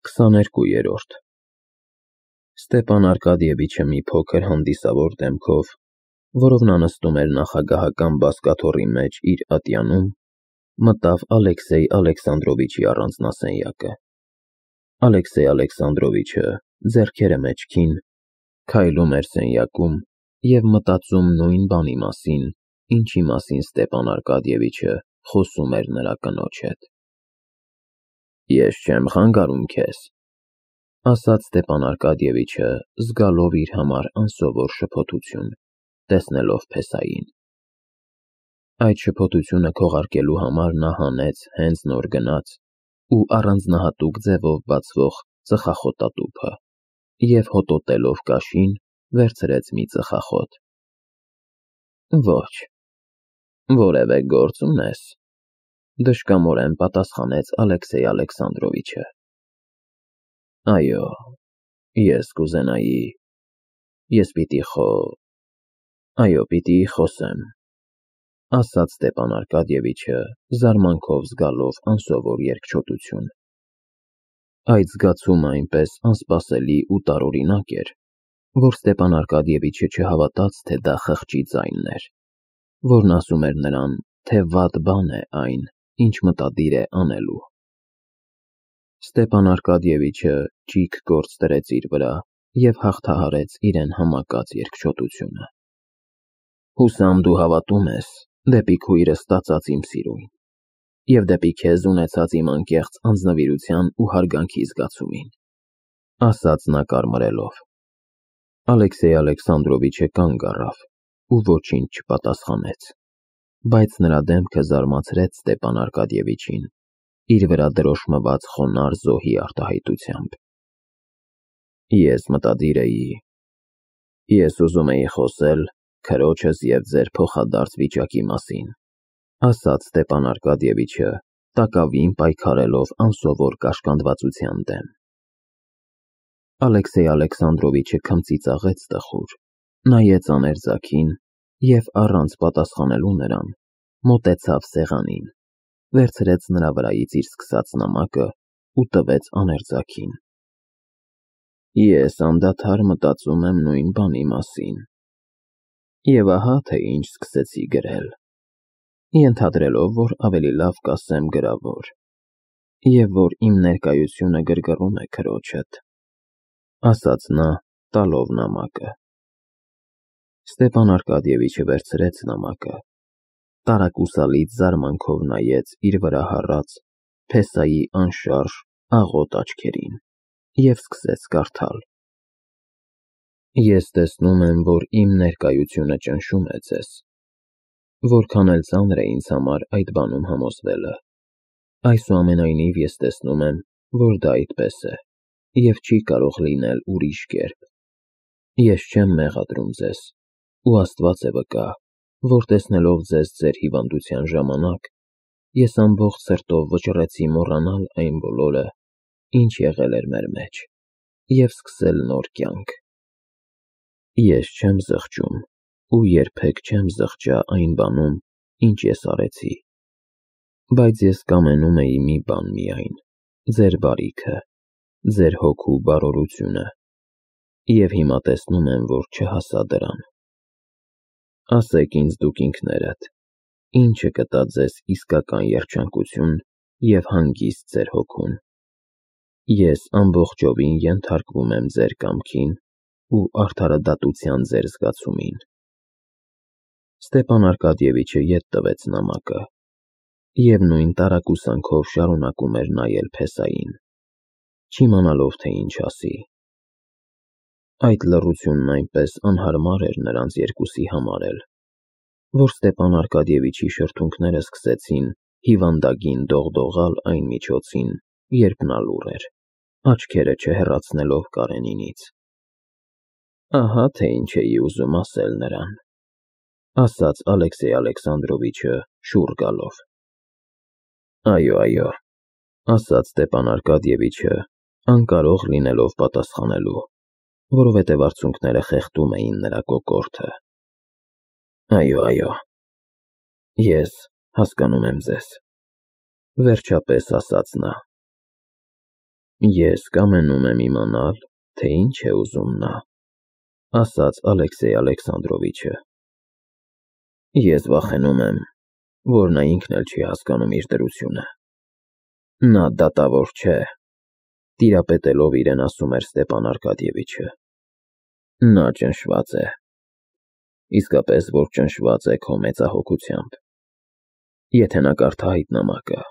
22-րդ Ստեպան Արկադիևիչը մի փոքր հանդիսավոր դեմքով, որով նա նստում էր նախագահական բազկաթոռի մեջ իր ատյանում, մտավ Ալեքսեյ Ալեքսանդրովիչի առանձնասենյակը։ Ալեքսեյ Ալեքսանդրովիչը, ձեռքերը մեջքին, քայլում էր սենյակում և մտածում նույն բանի մասին, ինչի մասին Ստեպան Արկադիևիչը խոսում էր նրա կնոջ հետ։ «Ես չեմ խանգարում քեզ,» ասաց Ստեպան Արկադիևիչը, զգալով իր համար անսովոր շփոթություն, տեսնելով փեսային։ Այդ շփոթությունը քողարկելու համար նա հանեց հենց նոր գնած ու առանձնահատուկ ձևով բացվող ծխախոտատուփը և հոտոտելով կաշին, վերցրեց մի ծխախոտ։ «Ոչ, որևէ գործ ունե՞ս,» դժկամորեն պատասխանեց Ալեքսեյ Ալեքսանդրովիչը։ «Այո, ես կուզենայի, ես պիտի խոսեմ,» ասաց Ստեպան Արկադիևիչը, զարմանքով զգալով անսովոր երկչոտություն։ Այդ զգացումը այնպես անսպասելի ու տարօրինակ էր, որ Ստեպան Արկադիևիչը չհավատաց, թե դա խղճի ձայնն էր, որն ասում էր նրան, թե վատ բան է այն, ինչ մտադիր է անելու։ Ստեպան Արկադիևիչը ճիգ գործ դրեց իր վրա և հաղթահարեց իրեն համակած երկչոտությունը։ «Հուսամ դու հավատում ես դեպի քույրս ստացած իմ սիրուն և դեպի քեզ ունեցած իմ անկեղծ անձնվիրության ու հարգանքի զգացումին,» ասաց նա կարմրելով։ Ալեքսեյ Ալեքսանդրովիչը կանգ առավ ու ոչինչ չպատասխանեց, բայց նրա դեմքը զարմացրեց Ստեպան Արկադիևիչին իր վրա դրոշմված խոնարհ զոհի արտահայտությամբ։ «Ես ուզում էի խոսել քրոջս և ձեր փոխադարձ վիճակի մասին,» ասաց Ստեպան Արկադիևիչը, տակավին պայքարելով անսովոր կաշկանդվածության դեմ։ Ալեքսեյ Ալեքսանդրովիչը քմծիծաղեց տխուր, նայեց աներձակին և առանց պատասխանելու նրան, մոտեցավ սեղանին, վերցրեց նրա վրայից իր սկսած նամակը ու տվեց աներձակին։ «Ես անդադար մտածում եմ նույն բանի մասին, և ահա թե ինչ սկսեցի գրել, ենթադրելով, որ ավելի լավ կասեմ գրավոր, և որ իմ ներկայությունը գրգռում է քրոջդ,» ասաց նա, տալով նամակը։ Ստեպան Արկադիևիչը վերցրեց նամակը, տարակուսալից զարմանքով նայեց իր վրա հառած փեսայի անշարժ, աղոտ աչքերին և սկսեց կարդալ. «Ես տեսնում եմ, որ իմ ներկայությունը ճնշում է ձեզ, որքան էլ ծանր է ինձ համար այդ բանում համոզվելը, այսուամենայնիվ ես տեսնում եմ, որ դա այդպես է և չի կարող լինել ուրիշ կերպ։ Ես չեմ մեղադրում ձեզ, ու Աստված է վկա, որ տեսնելով ձեզ ձեր հիվանդության ժամանակ, ես ամբողջ սրտով վճռեցի մոռանալ այն բոլորը, ինչ եղել էր մեր մեջ, և սկսել նոր կյանք։ Ես չեմ զղջում ու երբեք չեմ զղջա այն բանում, ինչ ես արեցի, բայց ես կամենում էի մի բան միայն՝ ձեր բարիքը, ձեր հոգու բարօրությունը, և հիմա տեսնում եմ, որ չհասա դրան։ Ասեք ինձ դուք ինքներդ, ի՞նչը կտա ձեզ իսկական երջանկություն և հանգիստ ձեր հոգուն։ Ես ամբողջովին ենթարկվում եմ ձեր կամքին ու արդարադատության ձեր զգացումին։ Ստեպան Արկադիևիչը ետ տվեց նամակը և նույն տարակուսանքով շարունակում էր նայել փեսային, չիմանալով, թե ինչ ասի։ Այդ լռությունն այնպես անհարմար էր նրանց երկուսի համար էլ, որ Ստեպան Արկադիևիչի շրթունքները սկսեցին հիվանդագին դողդողալ այն միջոցին, երբ նա լուռ էր, աչքերը չհեռացնելով Կարենինից։ «Ահա թե ինչ էի ուզում ասել նրան,» ասաց Ալեքսեյ Ալեքսանդրովիչը շուռ գալով։ «Այո,» ասաց Ստեպան Արկադիևիչը, անկարող լինելով պատասխանելու, որովհետև արցունքները խեղդում էին նրա կոկորդը։ «Այո, ես հասկանում եմ ձեզ,» վերջապես ասաց նա։ Ես կամենում եմ իմանալ, թե ինչ է ուզում նա, ասաց Ալեքսեյ Ալեքսանդրովիչը։ Ես վախենում եմ, որ նա ինքն էլ չի հասկանում իր դրությունը։ Նա դատավոր չէ, տիրապետելով իրեն ասում էր Ստեպան Արկադիևիչը։ Նա ճնշված է, իսկապես որ ճնշված է քո մեծահոգությամբ։ Եթե նա կարդա այդ նամակը,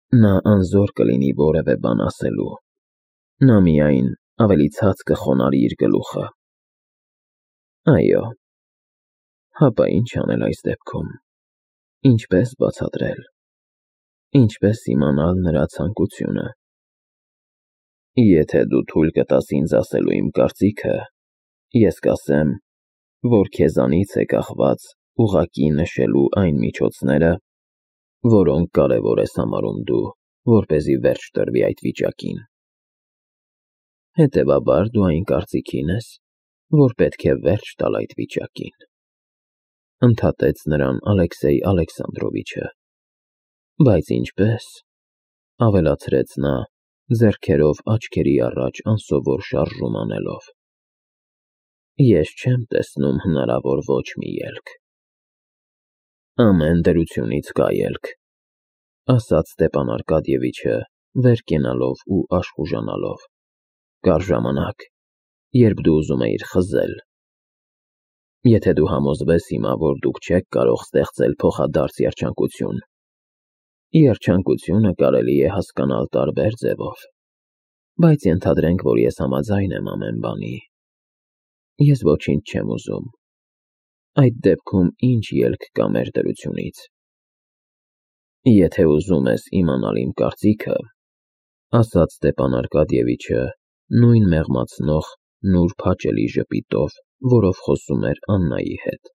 նա անզոր կլինի որևէ բան ասելու, նա միայն ավելի ցած կխոնարհի իր գլուխը։ Այո, հապա ինչ անել այս դեպքում, ինչպես բացատրել, ինչպես իմանալ նրա ցանկությունը։ Եթե դու թույլ կտաս ինձ ասելու իմ կարծիքը, ես կասեմ, որ քեզանից է կախված ուղղակի նշելու այն միջոցները, որոնք կարևոր ես համարում դու, որպեսզի վերջ տրվի այդ վիճակին։ Հետևաբար դու այն կարծիքին ես, որ պետք է վերջ տալ այդ վիճակին, ընդհատեց նրան Ալեքսեյ Ալեքսանդրովիչը։ Բայց ինչպես, ավելացրեց նա, ձեռքերով աչքերի առաջ անսովոր շարժում անելով։ Ես չեմ տեսնում հնարավոր ոչ մի ելք։ Ամեն դրությունից կա ելք, ասաց Ստեպան Արկադիևիչը, վեր կենալով ու աշխուժանալով։ Կար ժամանակ, երբ դու ուզում էիր խզել։ Եթե դու համոզվես հիմա, որ դուք չեք կարող ստեղծել փոխադարձ երջանկություն, երջանկությունը կարելի է հասկանալ տարբեր ձևով, բայց ենթադրենք, որ ես համաձայն եմ ամեն բանի։ Ես ոչինչ չեմ ուզում։ Այդ դեպքում ինչ ելք կա մեր դրությունից։ Եթե ուզում ես իմանալ իմ կարծիքը, ասաց Ստեպան Արկադիևիչը նույն մեղմացնող, նուրբ հաճելի ժպիտով, որով խոսում էր Աննայի հետ։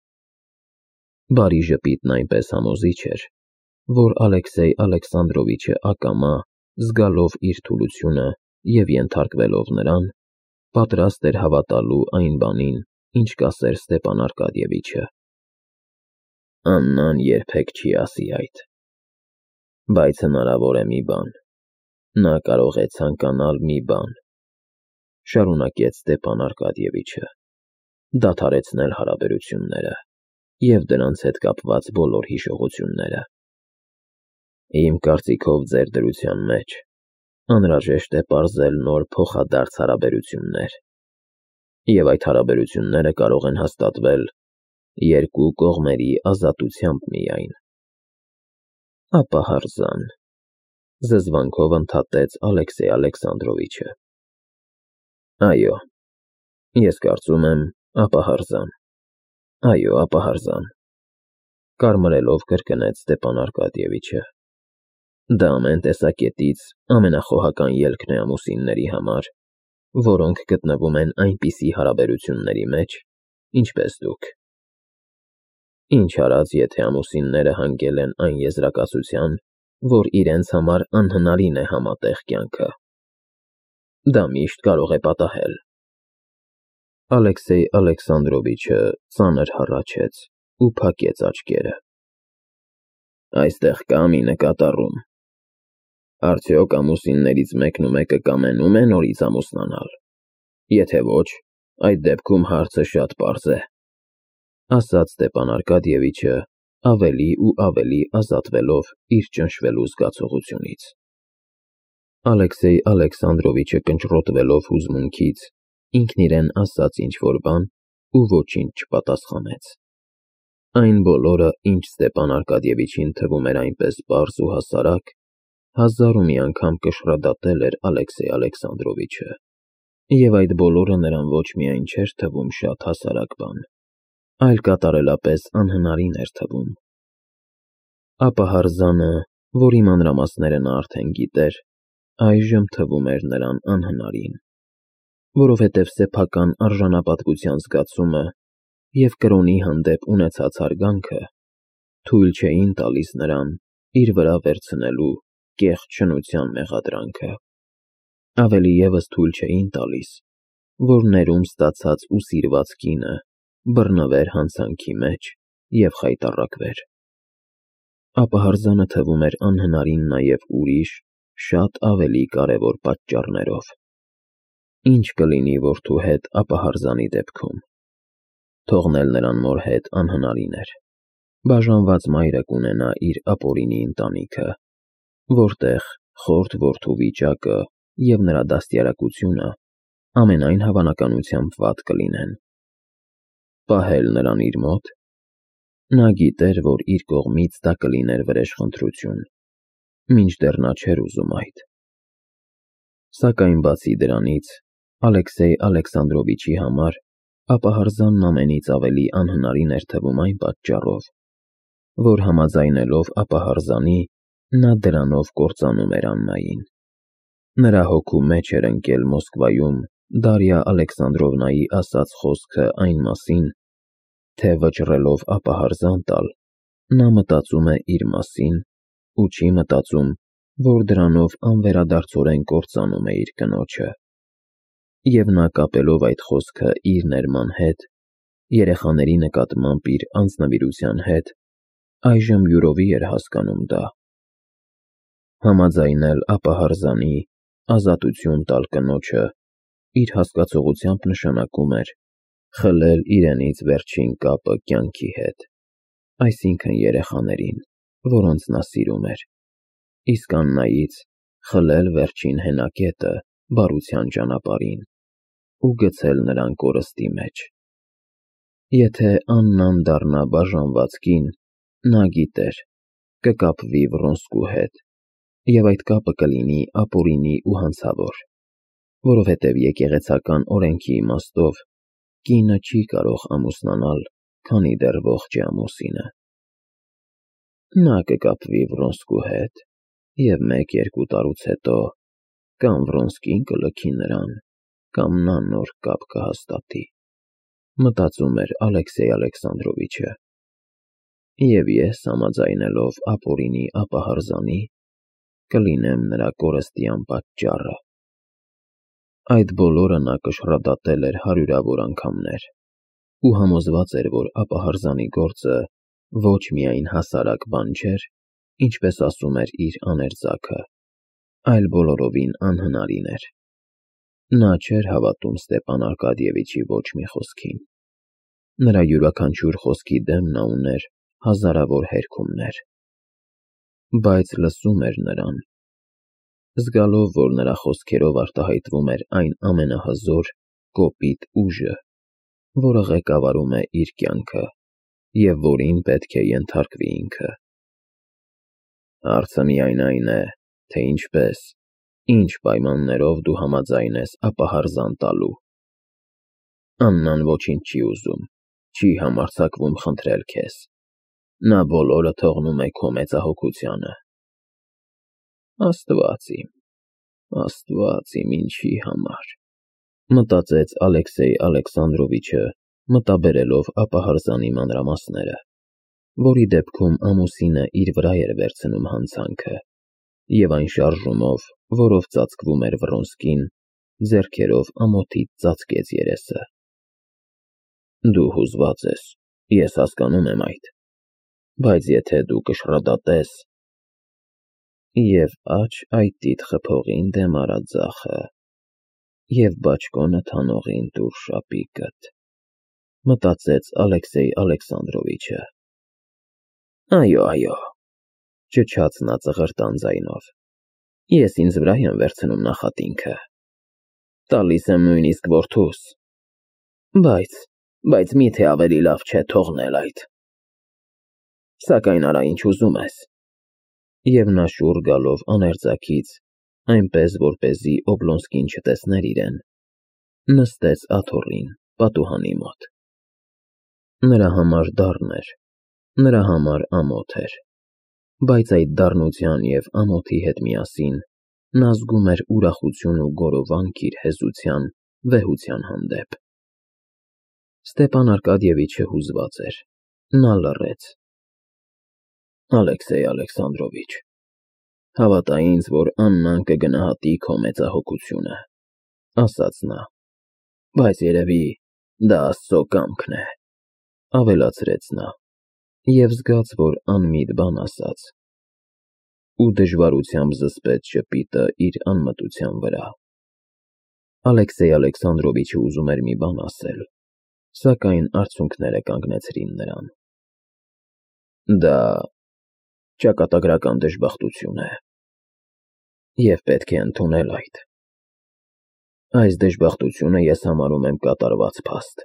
Բարի ժպիտն այնպես համոզիչ էր, որ Ալեքսեյ Ալեքսանդրովիչը ակամա, զգալով իր թուլությունը և ենթարկվելով նրան, պատրաստ էր հավատալու այն բանին, ինչ կասեր Ստեպան Արկադիևիչը։ Աննան երբեք չի ասի այդ։ Բայց հնարավոր է մի բան։ Նա կարող է ցանկանալ մի բան, շարունակեց Ստեպան Արկադիևիչը, դադարեցնել հարաբերությունները և դրանց հետ կապված բոլոր հիշողությունները։ Իմ կարծիքով ձեր դրության մեջ անհրաժեշտ է պարզել նոր փոխադարձ հարաբերություններ, և այդ հարաբերությունները կարող են հաստատվել երկու կողմերի ազատությամբ միայն։ Ապահարզան, զզվանքով ընդհատեց Ալեքսեյ Ալեքսանդրովիչը։ Այո, ես կարծում եմ, ապահարզան։ Այո, ապահարզան, կարմրելով կրկնեց Ստեպան Արկադիևիչը։ Դա ամեն տեսակետից ամենախոհական ելքն է ամուսինների համար, որոնք գտնվում են այնպիսի հարաբերությունների մեջ, ինչպես դուք։ Ինչ արած, եթե ամուսինները հանգել են այն եզրակացության, որ իրենց համար անհնարին է համատեղ կյանքը։ Դա միշտ կարող է պատահել։ Ալեքսեյ Ալեքսանդրովիչը ծանր հառաչեց ու փակեց աչքերը։ Այստեղ կա մի նկատառում։ Արդյոք ամուսիններից մեկն ու մեկը կամենում է նորից ամուսնանալ։ Եթե ոչ, այդ դեպքում հարցը շատ պարզ է, ասաց Ստեպան Արկադիևիչը, ավելի ու ավելի ազատվելով իր ճնշվելու զգացողությունից։ Ալեքսեյ Ալեքսանդրովիչը կնճռոտվելով հուզմունքից, ինքն իրեն ասաց ինչ-որ բան ու ոչինչ չպատասխանեց։ Այն բոլորը, ինչ Ստեպան Արկադիևիչին թվում էր այնպես պարզ ու հասարակ, հազար ու մի անգամ կշռադատել էր Ալեքսեյ Ալեքսանդրովիչը, և այդ բոլորը նրան ոչ միայն չէր թվում շատ հասարակ բան, այլ կատարելապես անհնարին էր թվում։ Ապահարզանը, որի մանրամասները նա արդեն գիտեր, այժմ թվում էր նրան անհնարին, որովհետև սեփական արժանապատվության զգացումը և կրոնի հանդեպ ունեցած հարգանքը թույլ չէին տալիս նրան իր վրա վերցնելու կեղծ շնության մեղադրանքը։ Ավելի ևս թույլ չէին տալիս, որ ներում ստացած ու սիրված կինը բռնվեր հանցանքի մեջ և խայտառակվեր։ Ապահարզանը թվում էր անհնարին նաև ուրիշ, շատ ավելի կարևոր պատճառներով։ Ինչ կլինի որդու հետ ապահարզանի դեպքում։ Թողնել նրան մոր հետ անհնարին էր։ Բաժանված մայրը կունենա իր ապօրինի ընտանիքը, որտեղ խորթ որդու վիճակը և նրա դաստիարակությունը ամենայն հավանականությամբ վատ կլինեն։ Պահել նրան իր մոտ։ Նա գիտեր, որ իր կողմից դա կլիներ վրեժխնդրություն, մինչդեռ նա չէր ուզում այդ։ Սակայն բացի դրանից, Ալեքսեյ Ալեքսանդրովիչի համար ապահարզանն ամենից ավելի անհնարին էր թվում այն պատճառով, որ համաձայնելով ապահարզանի, նա դրանով կործանում էր Աննային։ Նրա հոգու մեջ էր ընկել Մոսկվայում Դարիա Ալեքսանդրովնայի ասած խոսքը այն մասին, թե վճռելով ապահարզան տալ, նա մտածում է իր մասին ու չի մտածում, որ դրանով անվերադարձորեն կործանում է իր կնոջը։ Եվ նա կապելով այդ խոսքը իր ներման հետ, երեխաների նկատմամբ իր անձնվիրության հետ, այժմ յուրովի էր հասկանում դա։ Համաձայնել ապահարզանի, ազատություն տալ կնոջը, իր հասկացողությամբ նշանակում էր խլել իրենից վերջին կապը կյանքի հետ, այսինքն երեխաներին, որոնց նա սիրում էր, իսկ Աննայից խլել վերջին հենակետը բարության ճանապարհին ու գցել նրան կորստի մեջ։ Եթե Աննան դառնա բաժանված կին, նա գիտեր, կկապվի Վռոնսկու հետ, և այդ կապը կլինի ապօրինի ու հանցավոր, որովհետև եկեղեցական օրենքի իմաստով կինը չի կարող ամուսնանալ, քանի դեռ ողջ է ամուսինը։ Նա կկապվի Վռոնսկու հետ, և 1-2 տարուց հետո կամ Վռոնսկին կլքի նրան, կամ նա նոր կապ կհաստատի, մտածում էր Ալեքսեյ Ալեքսանդրովիչը։ Եվ ես համաձայնելով ապօրինի ապահարզանի, կլինեմ նրա կորստի անպատճառը։ Այդ բոլորը նա կշռադատել էր հարյուրավոր անգամներ ու համոզված էր, որ ապահարզանի գործը ոչ միայն հասարակ բան չէր, ինչպես ասում էր իր աներձակը, այլ բոլորովին անհնարին էր։ Նա չէր հավատում Ստեպան Արկադիևիչի ոչ մի խոսքին։ Նրա յուրաքանչյուր խոսքի դեմ նա ուներ հազարավոր հերքումներ, բայց լսում էր նրան, զգալով, որ նրա խոսքերով արտահայտվում էր այն ամենահզոր, կոպիտ ուժը, որը ղեկավարում է իր կյանքը և որին պետք է ենթարկվի ինքը։ Հարցը միայն այն է, թե ինչպես, ինչ պայմաններով դու համաձայնես ապահարզան տալու։ Աննան ոչինչ չի ուզում, չի համարձակվում խնդրել քեզ։ Նա բոլորը թողնում է քո մեծահոգությանը։ Աստված իմ ինչի համար, մտածեց Ալեքսեյ Ալեքսանդրովիչը, մտաբերելով ապահարզանի մանրամասները, որի դեպքում ամուսինը իր վրա էր վերցնում հանցանքը, և այն շարժումով, որով ծածկվում էր Վռոնսկին, ձեռքերով ամոթից ծածկեց երեսը։ Դու հուզված ես, ես հասկանում եմ այդ, բայց եթե դու կշռադատես… Եվ աջ այտիդ խփողին դեմ արա ձախը, և բաճկոնը թանողին տուր շապիկդ, մտածեց Ալեքսեյ Ալեքսանդրովիչը։ Այո, ճչաց նա ծղրտան ձայնով, ես ինձ վրա եմ վերցնում նախատինքը, տալիս եմ նույնիսկ որդուս, բայց միթե ավելի լավ չէ թողնել այդ։ Սակայն արա ինչ ուզում ես։ Եվ նա շուռ գալով աներձակից, այնպես որպեսզի Օբլոնսկին չտեսներ իրեն, նստեց աթոռին պատուհանի մոտ։ Նրա համար դառն էր, նրա համար ամոթ էր, բայց այդ դառնության և ամոթի հետ միասին նա զգում էր ուրախություն ու գորովանք իր հեզության, վեհության հանդեպ։ Ստեպան Արկադիևիչը հուզված էր, նա լռեց։ Ալեքսեյ Ալեքսանդրովիչ, հավատա ինձ, որ Աննան կգնահատի քո մեծահոգությունը, ասաց նա, բայց երևի դա Աստծո կամքն է, ավելացրեց նա, և զգաց, որ անմիտ բան ասաց։ ու դժվարությամբ զսպեց ժպիտը իր անմտության վրա։ Ալեքսեյ Ալեքսանդրովիչը ուզում էր մի բան ասել, սակայն արցունքները կանգնեցրին նրան։ Դա ճակատագրական դժբախտություն է, և պետք է ընդունել այդ։ Այս դժբախտությունը ես համարում եմ կատարված փաստ,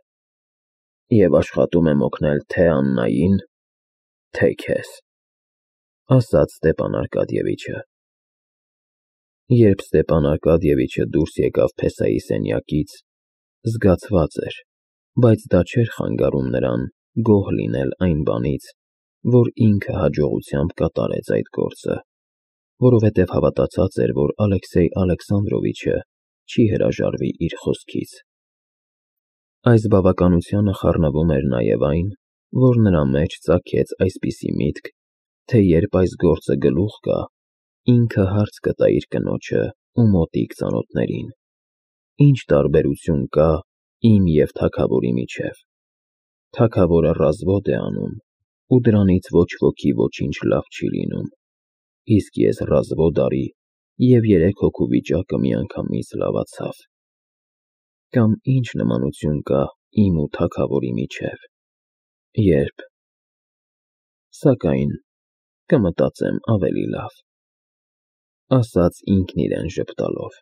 և աշխատում եմ օգնել թե Աննային, թե քեզ, ասաց Ստեպան Արկադիևիչը։ Երբ Ստեպան Արկադիևիչը դուրս եկավ փեսայի սենյակից, զգացված էր, բայց դա չէր խանգարում նրան գոհ լինել այն բանից, որ ինքը հաջողությամբ կատարեց այդ գործը, որովհետև հավատացած էր, որ Ալեքսեյ Ալեքսանդրովիչը չի հրաժարվի իր խոսքից։ Այս բավականությանը խառնվում էր նաև այն, որ նրա մեջ ծագեց այսպիսի միտք, թե երբ այս գործը գլուխ գա, ինքը հարց կտա իր կնոջը ու մոտիկ ծանոթներին. Ինչ տարբերություն կա իմ և թագավորի միջև։ Թագավորը ռազվոդ է անում, ու դրանից ոչ ոքի ոչինչ լավ չի լինում, իսկ ես ռազվոդ արի, և 3 հոգու վիճակը միանգամից լավացավ։ Կամ ինչ նմանություն կա իմ ու թագավորի միջև, երբ… Սակայն կմտածեմ ավելի լավ, ասաց ինքն իրեն ժպտալով։